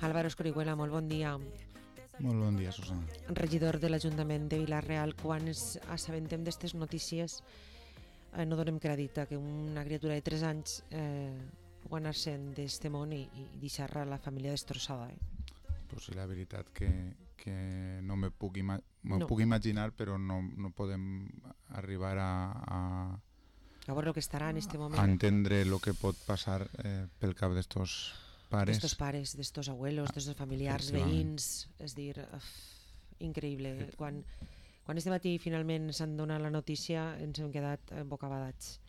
Álvaro Escorihuela, molt bon dia. Molt bon dia, Susana. Regidor de l'Ajuntament de Vila-real, quan assabentem d'aquestes notícies no donem crèdit a que una criatura de 3 anys pugui anar-se'n d'este món i deixar la família destrossada. Pues sí, la veritat que no me puc imaginar, però no podem arribar a veure el que estarà en este moment. A entendre el que pot passar pel cap d'estos pares. D'estos pares, d'estos abuelos, d'estos familiars, veïns, és dir, increïble. Quan este matí finalment s'han donat la notícia ens hem quedat bocabadats.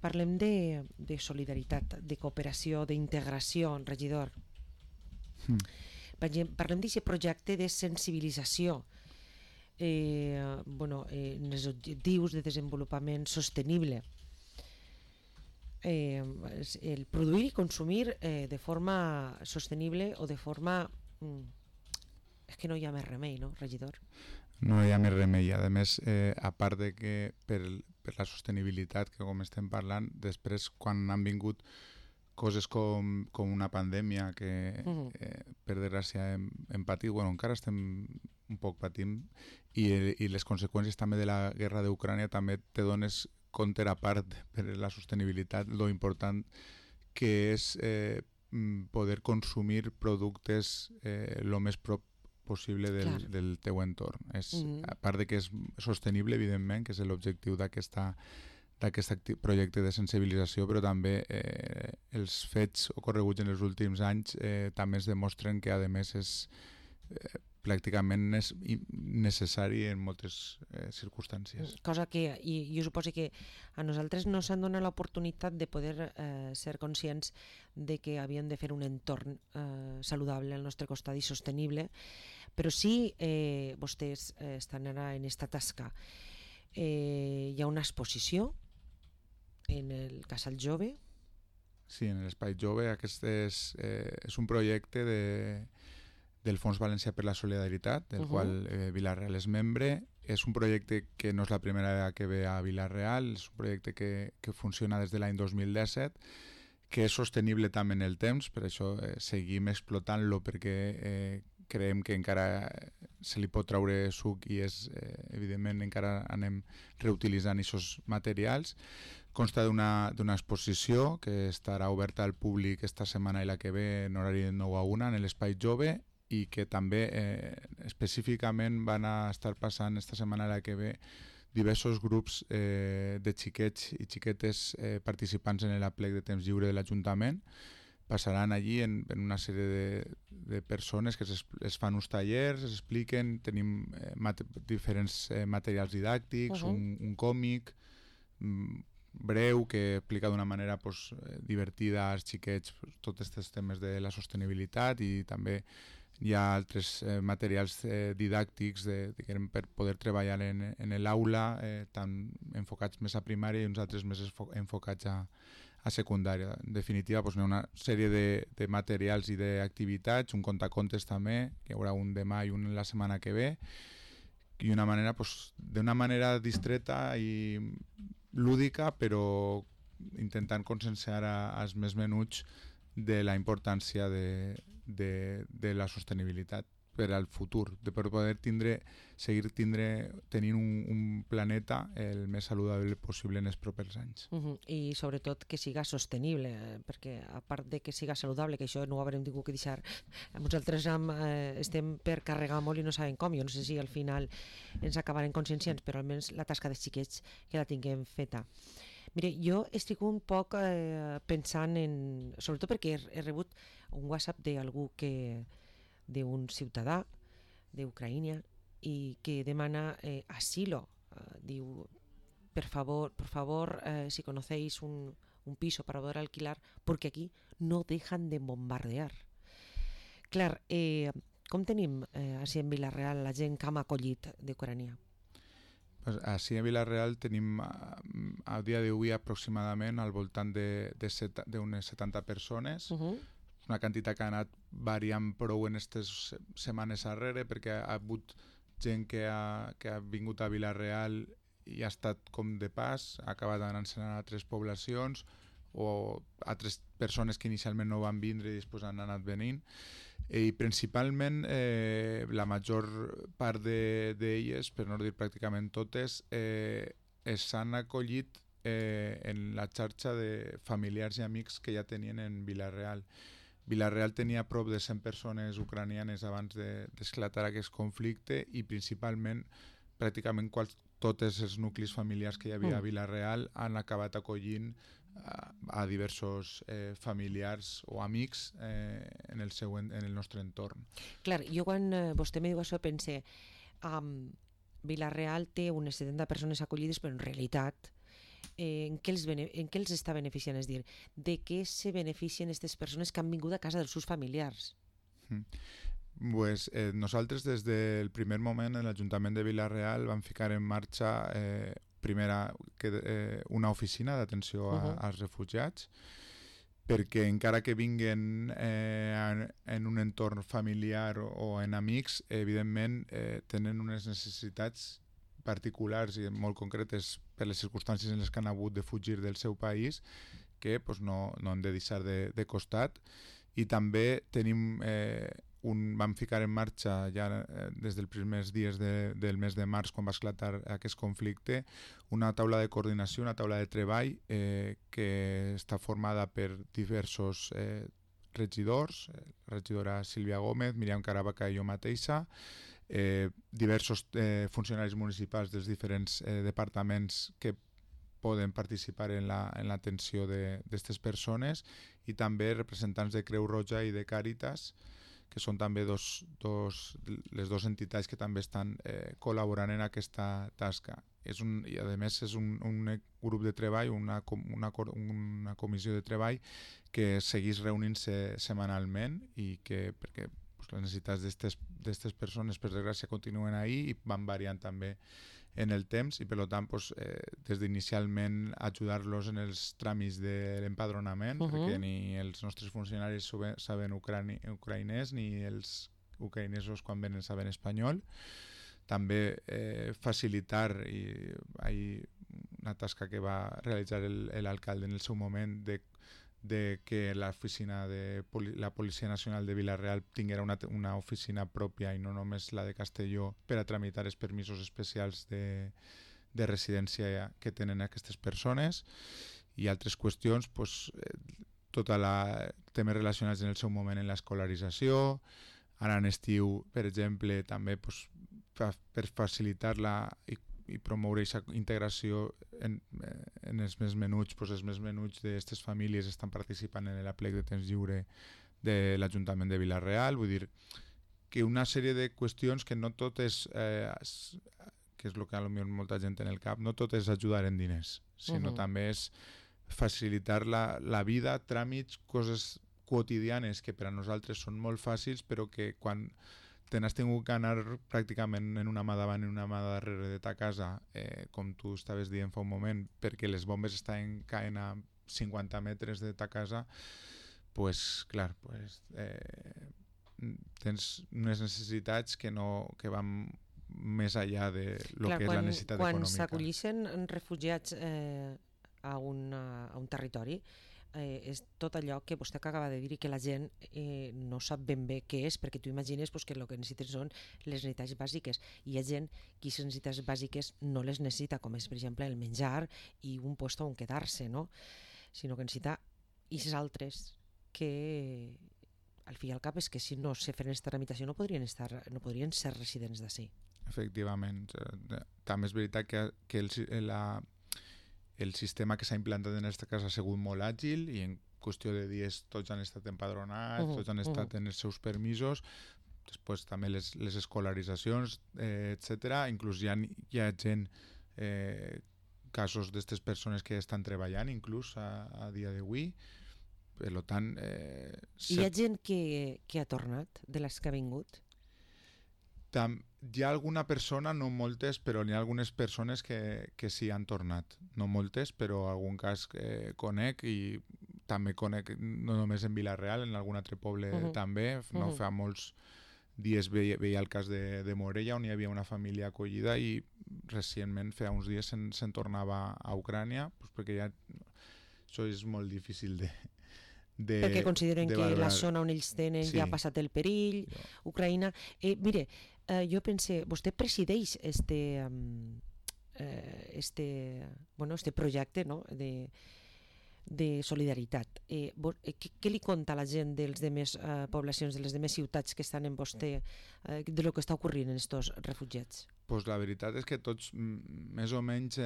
Parlem de solidaritat, de cooperació, d'integració, regidor. Parlem d'aquest projecte de sensibilització en els objectius de desenvolupament sostenible. El produir i consumir de forma sostenible o de forma... És que no hi ha més remei, no, regidor? No hi ha més remei. A més, a part de que per la sostenibilitat que com estem parlant, després quan han vingut coses com una pandèmia que per desgràcia hem patit, encara estem un poc patint, i les conseqüències també de la guerra d'Ucrània també te dones compte, a part per la sostenibilitat, lo important que és poder consumir productes lo més prop possible del teu entorn. A part de que és sostenible, evidentment, que és l'objectiu d'aquest projecte de sensibilització, però també els fets ocorreguts en els últims anys també es demostren que, a més, és pràcticament necessari en moltes circumstàncies. Cosa que jo suposo que a nosaltres no s'han donat l'oportunitat de poder ser conscients de que havíem de fer un entorn saludable al nostre costat i sostenible, però sí vostès estan ara en esta tasca. Hi ha una exposició en el Casal Jove. Sí, en l'Espai Jove. Aquest és un projecte del Fons Valencià per la Solidaritat, del qual Vila-real és membre. És un projecte que no és la primera vegada que ve a Vila-real, és un projecte que funciona des de l'any 2017, que és sostenible també en el temps, per això seguim explotant-lo, perquè creiem que encara se li pot traure suc i evidentment encara anem reutilitzant aquests materials. Consta d'una exposició que estarà oberta al públic esta setmana i la que ve en horari de 9 a 1 en l'Espai Jove, i que també específicament van a estar passant esta setmana i la que ve diversos grups de xiquets i xiquetes participants en l'aplec de temps lliure de l'Ajuntament. Passaran allí en una sèrie de persones que es fan uns tallers, es expliquen, tenim diferents materials didàctics, un còmic breu que explica d'una manera divertida als xiquets tots aquests temes de la sostenibilitat, i també hi ha altres materials didàctics per poder treballar en l'aula, tant enfocats més a primària i uns altres més enfocats a secundària. En definitiva, hi ha una sèrie de materials i d'activitats, un contacontes també, que hi haurà un demà i un la setmana que ve, i d'una manera distreta i lúdica, però intentant conscienciar als més menuts de la importància de la sostenibilitat per al futur, per poder seguir tenint un planeta el més saludable possible en els propers anys. I sobretot que siga sostenible, perquè a part de que siga saludable, que això no ho haurem tingut que deixar, nosaltres estem per carregar molt i no sabem com. Jo no sé si al final ens acabarem conscienciant, però almenys la tasca dels xiquets que la tinguem feta. Mire, jo estic un poc pensant sobretot perquè he rebut un WhatsApp d'un ciutadà d'Ucraïna i que demana asilo. Diu, por favor, si conocéis un piso para poder alquilar, porque aquí no dejan de bombardear. Clar, com tenim així en Vila-real la gent que hem acollit d'Ucrània? Així a Vila-real tenim a dia d'avui aproximadament al voltant d'unes 70 persones, una quantitat que ha anat variant prou en aquestes setmanes darrere, perquè ha hagut gent que ha vingut a Vila-real i ha estat com de pas, ha acabat anant-se'n a altres poblacions, o altres persones que inicialment no van vindre i després han anat venint. I principalment la major part d'elles, per no dir pràcticament totes, s'han acollit en la xarxa de familiars i amics que ja tenien en Vila-real. Vila-real tenia prop de 100 persones ucranianes abans d'esclatar aquest conflicte i principalment pràcticament tots els nuclis familiars que hi havia a Vila-real han acabat acollint a diversos familiars o amics en el nostre entorn. Clar, jo quan vostè me diu això pense Vila-real té unes 70 persones acollides, però en realitat en què els està beneficiant? És dir, de què se beneficien aquestes persones que han vingut a casa dels seus familiars? Pues, nosaltres des del primer moment en l'Ajuntament de Vila-real vam ficar en marxa una oficina d'atenció als refugiats, perquè encara que vinguen en un entorn familiar o en amics, evidentment tenen unes necessitats particulars i molt concretes per les circumstàncies en les que han hagut de fugir del seu país que pues, no hem de deixar de costat. I també tenim vam ficar en marxa ja des dels primers dies del mes de març, quan va esclatar aquest conflicte, una taula de coordinació, una taula de treball que està formada per diversos regidors, la regidora Sílvia Gómez, Míriam Caravaca i jo mateixa, diversos funcionaris municipals dels diferents departaments que poden participar en l'atenció d'aquestes persones i també representants de Creu Roja i de Càritas, que són també les dues entitats que també estan col·laborant en aquesta tasca. I a més és un grup de treball, una comissió de treball que segueix reunint-se setmanalment i perquè les necessitats d'aquestes persones, per desgràcia, continuen ahí i van variant també en el temps i per tant des d'inicialment ajudar-los en els tràmits de l'empadronament, perquè ni els nostres funcionaris saben ucraïnès ni els ucraïnesos quan venen saben espanyol. També facilitar una tasca que va realitzar l'alcalde en el seu moment de que l'oficina de la Policia Nacional de Vila-real tinguera una oficina pròpia i no només la de Castelló per a tramitar els permisos especials de residència que tenen aquestes persones i altres qüestions, temes relacionats en el seu moment en l'escolarització, ara en estiu, per exemple, també per facilitar-la i promoure aquesta integració en els més menuts, els més menuts d'aquestes famílies estan participant en l'aplec de temps lliure de l'Ajuntament de Vila-real. Vull dir que una sèrie de qüestions que no tot és, que és el que potser molta gent té en el cap, no tot és ajudar en diners, sinó també és facilitar la vida, tràmits, coses quotidianes que per a nosaltres són molt fàcils, però que quan te n'has tingut que anar pràcticament en una mà davant i una mà darrere de ta casa, com tu estaves dient fa un moment, perquè les bombes estaven caent a 50 metres de ta casa, clar, tens unes necessitats que van més enllà de lo que és la necessitat econòmica. Quan s'acollixen refugiats a un territori, és tot allò que vostè acaba de dir i que la gent no sap ben bé què és, perquè tu imagines que el que necessites són les necessitats bàsiques i hi ha gent que les necessitats bàsiques no les necessita, com és per exemple el menjar i un lloc on quedar-se, no? Sinó que necessita aquestes altres que al fi i al cap és que si no se fan aquesta tramitació no podrien ser residents d'ací. Efectivament. També és veritat que el sistema que s'ha implantat en aquest cas ha sigut molt àgil i en qüestió de dies tots han estat empadronats, tots han estat en els seus permisos, després també les escolaritzacions, etc. Inclús hi ha gent, casos d'aquestes persones que estan treballant inclús a dia d'avui. Per tant... Hi ha gent que ha tornat de les que ha vingut? Hi ha alguna persona, no moltes, però hi ha algunes persones que sí han tornat. No moltes, però algun cas conec i també conec no només en Vila-real, en algun altre poble també. No fa molts dies veia el cas de Morella, on hi havia una família acollida i recentment, fa uns dies, se'n tornava a Ucrània, perquè ja això és molt difícil perquè consideren que valorar. la zona on ells tenen ja ha passat el perill, Ucraïna. Mire, jo pense, vostè presideix este projecte, no?, de solidaritat. Què li conta a la gent de les demés poblacions, de les demés ciutats que estan en vostè, de lo que està ocorrint en estos refugiats? Pues la veritat és que tots més o menys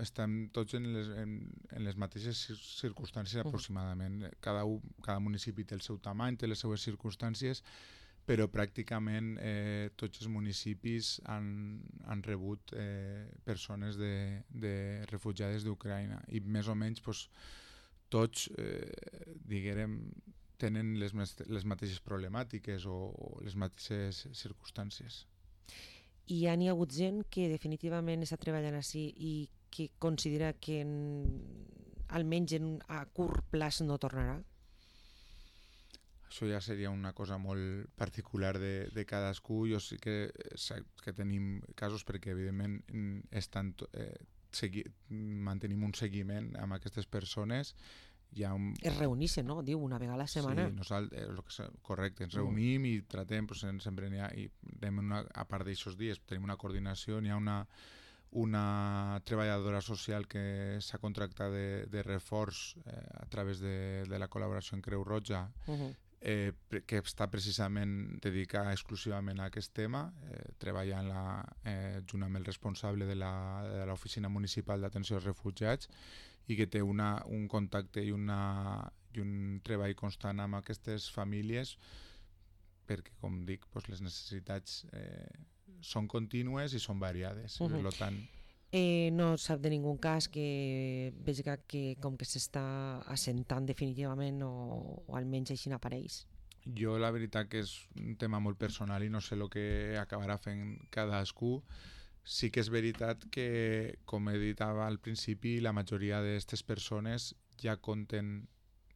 estem tots en les mateixes circumstàncies aproximadament. Cada municipi té el seu tamany, té les seues circumstàncies, però pràcticament tots els municipis han rebut persones refugiades d'Ucraïna i més o menys tots diguem tenen les mateixes problemàtiques o les mateixes circumstàncies. I n'hi ha hagut gent que definitivament està treballant així i que considera que almenys a curt plaç no tornarà? Això ja seria una cosa molt particular de cadascú. Jo sí que tenim casos perquè evidentment mantenim un seguiment amb aquestes persones. Es reuneixen, no? Diu, una vegada a la setmana. Sí, nosaltres, correcte, ens reunim i tratem, sempre n'hi ha, i a part d'aixòs dies tenim una coordinació, n'hi ha una treballadora social que s'ha contractat de reforç a través de la col·laboració amb Creu Roja, que està precisament dedicada exclusivament a aquest tema, treballant junt amb el responsable de l'Oficina Municipal d'Atenció als Refugiats, i que té un contacte i un treball constant amb aquestes famílies, perquè, com dic, les necessitats són contínues i són variades. Per tant, no sap de ningú cas que vegi que com que s'està assentant definitivament o almenys així n'apareix? Jo la veritat que és un tema molt personal i no sé el que acabarà fent cadascú. Sí que és veritat que, com he dit al principi, la majoria d'aquestes persones ja compten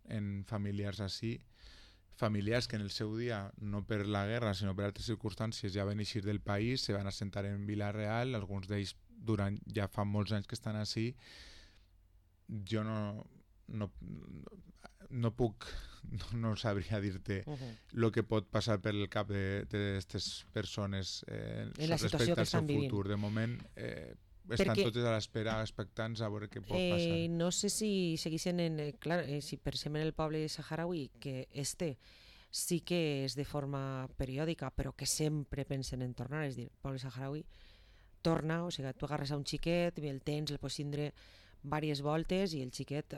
en familiars així, familiars que en el seu dia, no per la guerra, sinó per altres circumstàncies, ja van eixir del país, se van assentar en Vila-real, alguns d'ells ja fa molts anys que estan així. Jo no puc, no sabria dir-te el que pot passar per el cap d'aquestes persones respecte al seu futur. De moment estan totes a l'espera, expectants a veure què pot passar. No sé si segueixen si pensem en el poble saharaui, que sí que és de forma periòdica, però que sempre pensen en tornar, és a dir, el poble saharaui torna, o sigui, tu agarres a un xiquet, el tens, el pots tindre diverses voltes i el xiquet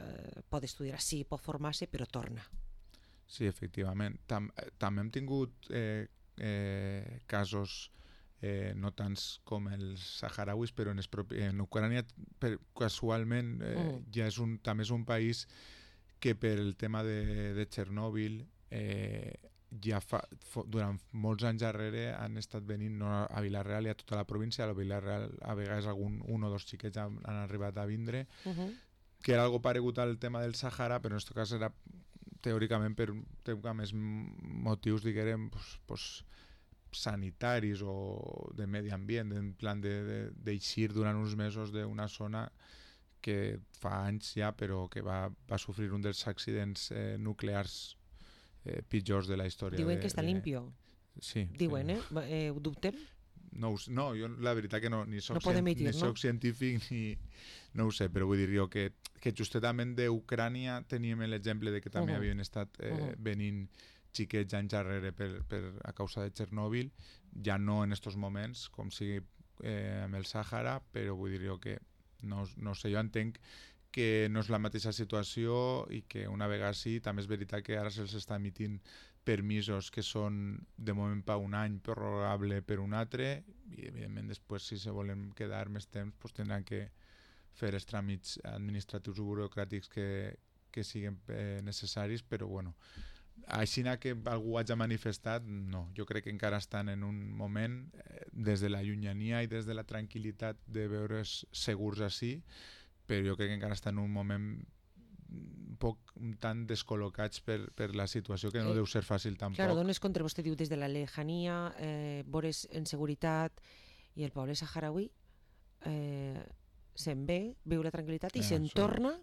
pot estudiar així, pot formar-se, però torna. Sí, efectivament. També hem tingut casos no tants com els saharauis, però en Ucrània casualment també és un país que per el tema de Txernòbil ja durant molts anys darrere han estat venint no a Vila-real i a tota la província. A Vila-real a vegades un o dos xiquets han arribat a vindre, que era algo paregut al tema del Sahara, però en aquest cas era teòricament per més motius, diguem, sanitaris o de medi ambient, en plan d'eixir durant uns mesos d'una zona que fa anys ja, però que va sofrir un dels accidents nuclears pitjors de la història. Diuen que està limpio. Sí. Diuen, ho dubtem? No, jo la veritat que ni soc científic ni no ho sé, però vull dir jo que justament d'Ucrània teníem l'exemple de que també havien estat venint xiquets anys darrere a causa de Txernòbil, ja no en estos moments, com sigui amb el Sàhara, però vull dir jo que no sé, jo entenc que no és la mateixa situació i que una vegada sí, també és veritat que ara se'ls està emitint permisos que són de moment per un any, prorrogable per un altre, i evidentment després si se volen quedar més temps tindran que fer els tràmits administratius o burocràtics que siguin necessaris, però bueno, així que algú hagi manifestat, no, jo crec que encara estan en un moment des de la llunyania i des de la tranquil·litat de veure's segurs així, però jo crec que encara estan en un moment un tant descol·locats per la situació, que no deu ser fàcil tampoc. Claro, dones contra, vostè diu, des de la lejania, veure's en seguretat, i el poble saharaui se'n ve, viu la tranquil·litat i se'n torna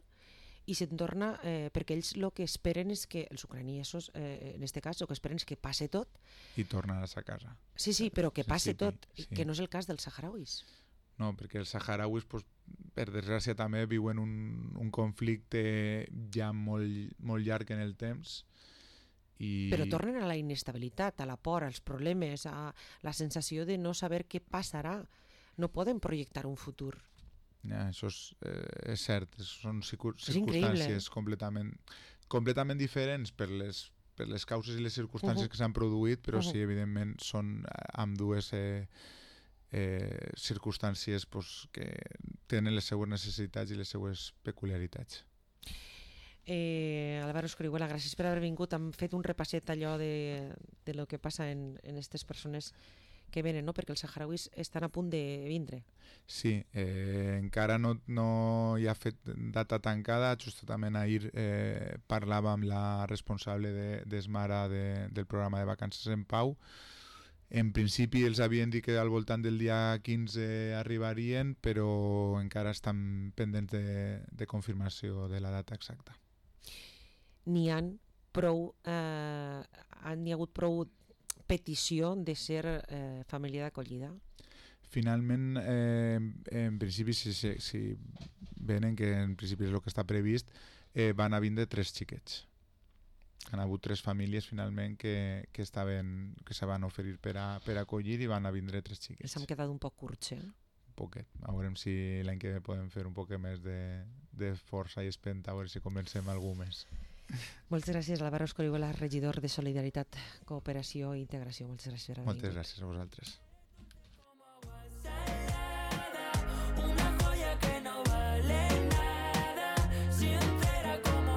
perquè ells el que esperen és que els ucraniesos, en aquest cas, el que esperen és que passe tot. I tornar a sa casa. Sí, però que passe tot, que no és el cas dels saharauis. No, perquè els saharauis, pues, per desgràcia, també viuen un conflicte ja molt llarg en el temps. Però tornen a la inestabilitat, a la por, als problemes, a la sensació de no saber què passarà. No poden projectar un futur. Això és cert, són circumstàncies completament diferents per les causes i les circumstàncies que s'han produït, però sí, evidentment, són ambdues circumstàncies que tenen les seues necessitats i les seues peculiaritats. Álvaro Escorihuela, gràcies per haver vingut. Hem fet un repasset allò de lo que passa en aquestes persones que venen, no? Perquè els saharauis estan a punt de vindre. Sí, encara no hi ha fet data tancada. Justament ahir parlava amb la responsable d'Esmara del programa de Vacances en Pau. En principi els havien dit que al voltant del dia 15 arribarien, però encara estan pendents de confirmació de la data exacta. N'hi ha hagut prou petició de ser família d'acollida? Finalment, en principi, si venen, que en principi és el que està previst, van a vindre 3 xiquets. Han hagut 3 famílies finalment que se van oferir per acollir i van a vindre 3 xiquets. S'han quedat un poc curts, Un poquet. A veure si l'any que ve podem fer un poc més de força i espenta, a veure si convencem algú més. Moltes gràcies, Álvaro Escorihuela, regidor de Solidaritat, Cooperació i Integració. Moltes gràcies per haver vingut. Moltes gràcies a vosaltres.